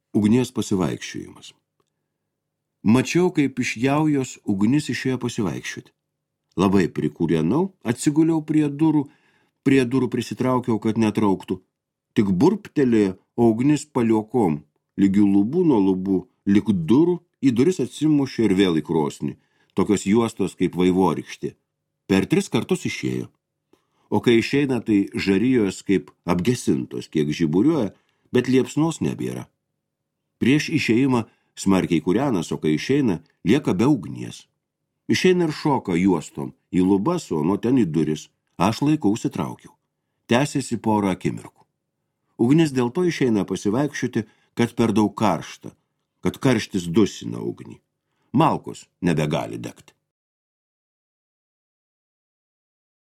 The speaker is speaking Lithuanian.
Ugnies pasivaikščiojimas. Mačiau, kaip iš jaujos ugnis išėjo pasivaikščioti. Labai prikūrenau, atsiguliau prie durų prisitraukiau, kad netrauktų. Tik burptelėjo, o ugnis paliokom, lygių lubų nuo lubų, lyg durų, į duris atsimušė ir vėl į krosnį, tokios juostos kaip vaivorykštė. Per 3 kartus išėjo. O kai išeina, tai žarijos kaip apgesintos, kiek žiburiuoja, bet liepsnos nebėra. Prieš išėjimą smarkiai kūrenas, o kai išeina, lieka be ugnies. Išeina ir šoka juostom, į lubas, o nuo ten į duris. Aš laikau užsitraukiau. Tęsiasi porą akimirkų. Ugnis dėl to išeina pasivaikščioti, kad per daug karšta, kad karštis dusina ugnį. Malkos nebegali degti.